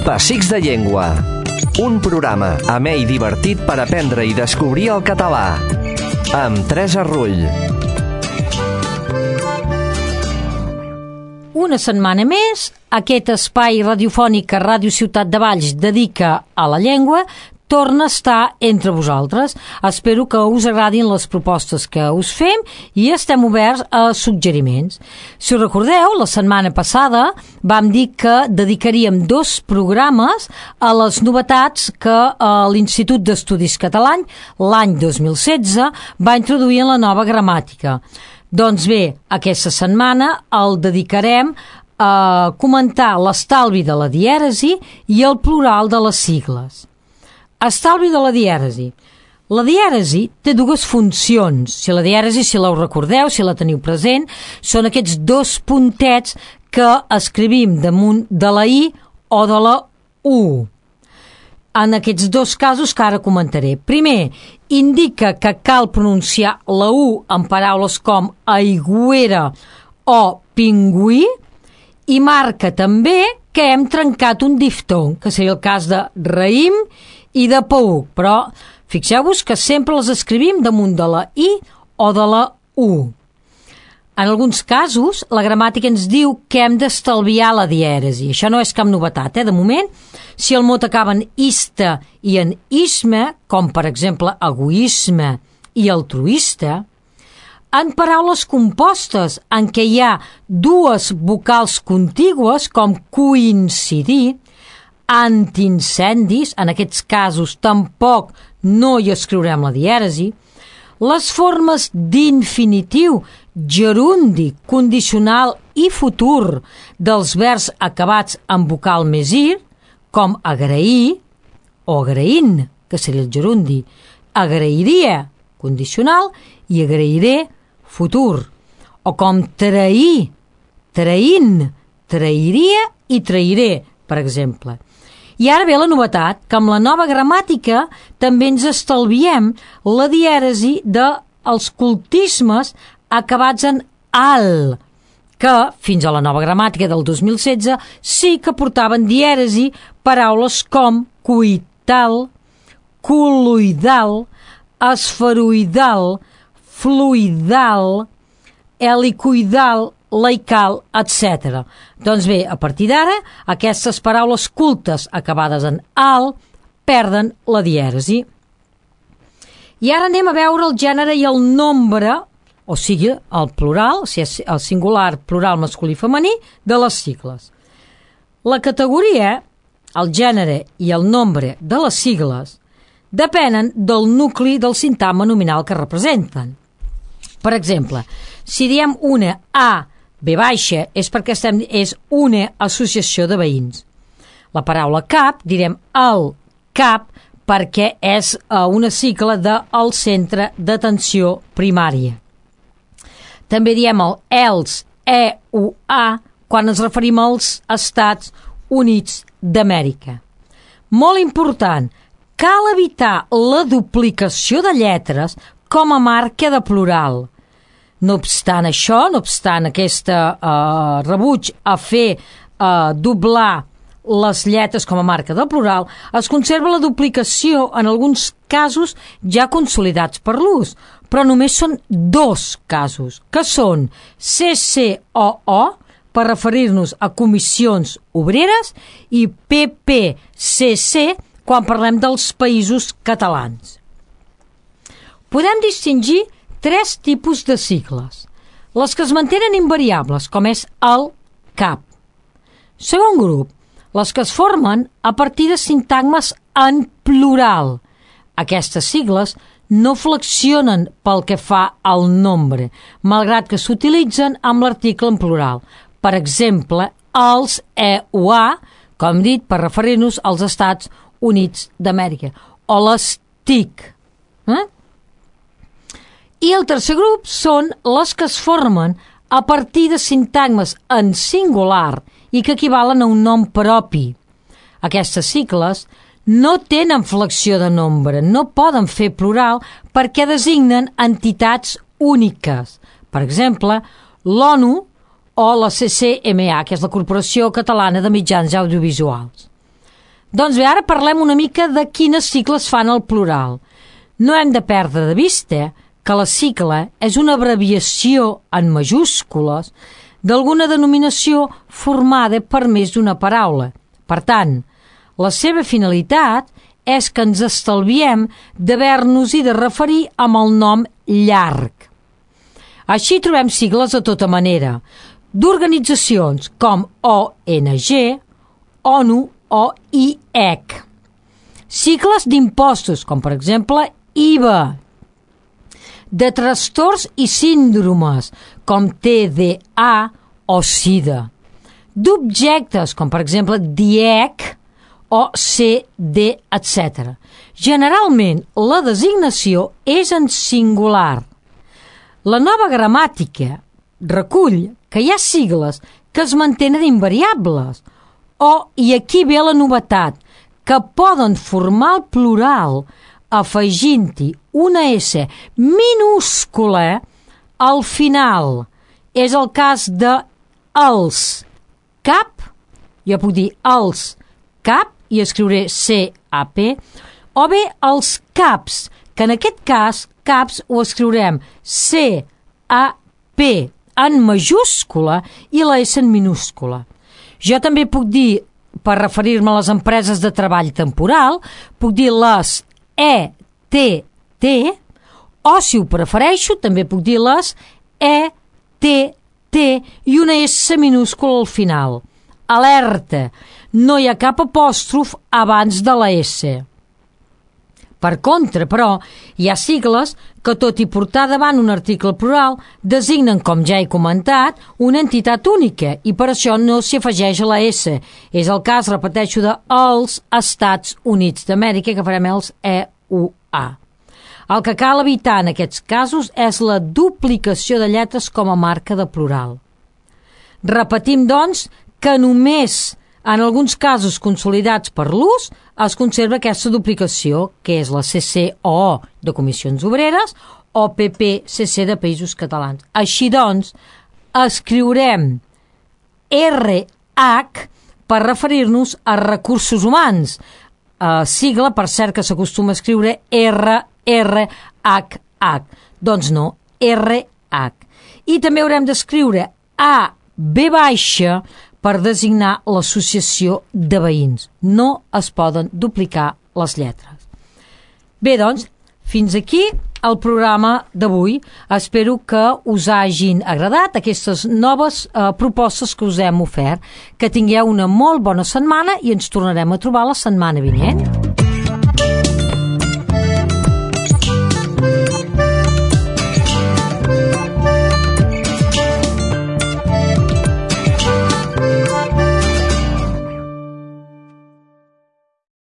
Pessics de Llengua. Un programa amè i divertit per aprendre i descobrir el català. Amb Teresa Rull. Una setmana més, aquest espai radiofònic que Ràdio Ciutat de Valls dedica a la llengua torna a estar entre vosaltres. Espero que us agradin les propostes que us fem i estem oberts a suggeriments. Si us recordeu, la setmana passada vam dir que dedicaríem 2 programes a les novetats que l'Institut d'Estudis Catalans l'any 2016 va introduir en la nova gramàtica. Doncs bé, aquesta setmana el dedicarem a comentar l'estalvi de la dièresi i el plural de les sigles. Estalvi de la dièresi. La dièresi té 2 funcions. Si la dièresi, si la recordeu, si la teniu present, són aquests 2 puntets que escrivim damunt de la I o de la U. En aquests 2 casos que ara comentaré. Primer, indica que cal pronunciar la U en paraules com aigüera o pingüí i marca també que hem trencat un diftong, que seria el cas de raïm i de pauc, però fixeu-vos que sempre les escrivim damunt de la I o de la U. En alguns casos, la gramàtica ens diu que hem d'estalviar la dièresi. Això no és cap novetat, de moment. Si el mot acaba en ista i en isme, com per exemple egoisme i altruista, en paraules compostes en què hi ha 2 vocals contigües, com coincidir, antiincendis, en aquests casos tampoc no hi escriurem la dièresi, les formes d'infinitiu, gerundi, condicional i futur dels verbs acabats en vocal més ir, com agrair o agraint, que seria el gerundi, agrairia, condicional, i agrairé, futur, o com trair, traint, trairia i trairé, per exemple. I ara ve la novetat, que amb la nova gramàtica també ens estalviem la dièresi dels cultismes acabats en al, que fins a la nova gramàtica del 2016 sí que portaven dièresi paraules com coital, col·loidal, esferoidal, fluidal, helicoidal, laical, etc. Doncs bé, a partir d'ara, aquestes paraules cultes acabades en al perden la dièresi. I ara anem a veure el gènere i el nombre, o sigui, el plural, o sigui, el singular, plural, masculí i femení, de les sigles. La categoria, el gènere i el nombre de les sigles depenen del nucli del sintagma nominal que representen. Per exemple, si diem una A B baixa és perquè és una associació de veïns. La paraula cap direm el cap perquè és una sigla del centre d'atenció primària. També diem el ELS, EUA, quan ens referim als Estats Units d'Amèrica. Molt important, cal evitar la duplicació de lletres com a marca de plural. No obstant això, no obstant aquest rebuig a fer doblar les lletres com a marca de plural, es conserva la duplicació en alguns casos ja consolidats per l'ús, però només són 2 casos, que són CCOO, per referir-nos a comissions obreres, i PPCC, quan parlem dels països catalans. Podem distingir 3 tipus de sigles. Les que es mantenen invariables, com és el cap. Segon grup, les que es formen a partir de sintagmes en plural. Aquestes sigles no flexionen pel que fa al nombre, malgrat que s'utilitzen amb l'article en plural. Per exemple, els EUA, com hem dit, per referir-nos als Estats Units d'Amèrica, o les TIC. I el tercer grup són les que es formen a partir de sintagmes en singular i que equivalen a un nom propi. Aquestes sigles no tenen flexió de nombre, no poden fer plural perquè designen entitats úniques. Per exemple, l'ONU o la CCMA, que és la Corporació Catalana de Mitjans Audiovisuals. Doncs bé, ara parlem una mica de quines sigles fan el plural. No hem de perdre de vista que la sigla és una abreviació en majúscules d'alguna denominació formada per més d'una paraula. Per tant, la seva finalitat és que ens estalviem d'haver-nos-hi de referir amb el nom llarg. Així trobem sigles de tota manera, d'organitzacions com ONG, ONU o IEC. Sigles d'impostos, com per exemple IVA, de trastorns i síndromes, com TDA o SIDA, d'objectes, com per exemple DIEC o CD, etc. Generalment, la designació és en singular. La nova gramàtica recull que hi ha sigles que es mantenen invariables, i aquí ve la novetat, que poden formar el plural afegint-hi una S minúscula al final. És el cas de els cap, jo puc dir els cap i escriuré CAP, o bé els caps, que en aquest cas caps ho escriurem CAP en majúscula i la S en minúscula. Jo també puc dir, per referir-me a les empreses de treball temporal, puc dir les ETT, o si ho prefereixo, també puc dir les ETT i una S minúscula al final. Alerta, no hi ha cap apòstrof abans de la S. Per contra, però, hi ha sigles que, tot i portar davant un article plural, designen, com ja he comentat, una entitat única i per això no s'hi afegeix la S. És el cas, repeteixo, dels Estats Units d'Amèrica, que farem els EUA. El que cal evitar en aquests casos és la duplicació de lletres com a marca de plural. Repetim, doncs, que només en alguns casos consolidats per l'ús es conserva aquesta duplicació, que és la CCOO de Comissions Obreres o PPCC de Països Catalans. Així doncs, escriurem RH per referir-nos a recursos humans, sigla, per cert, que s'acostuma a escriure RRHH. Doncs no, RH. I també haurem d'escriure AB- per designar l'associació de veïns. No es poden duplicar les lletres. Bé, doncs, fins aquí el programa d'avui. Espero que us hagin agradat aquestes noves propostes que us hem ofert. Que tingueu una molt bona setmana i ens tornarem a trobar la setmana vinent.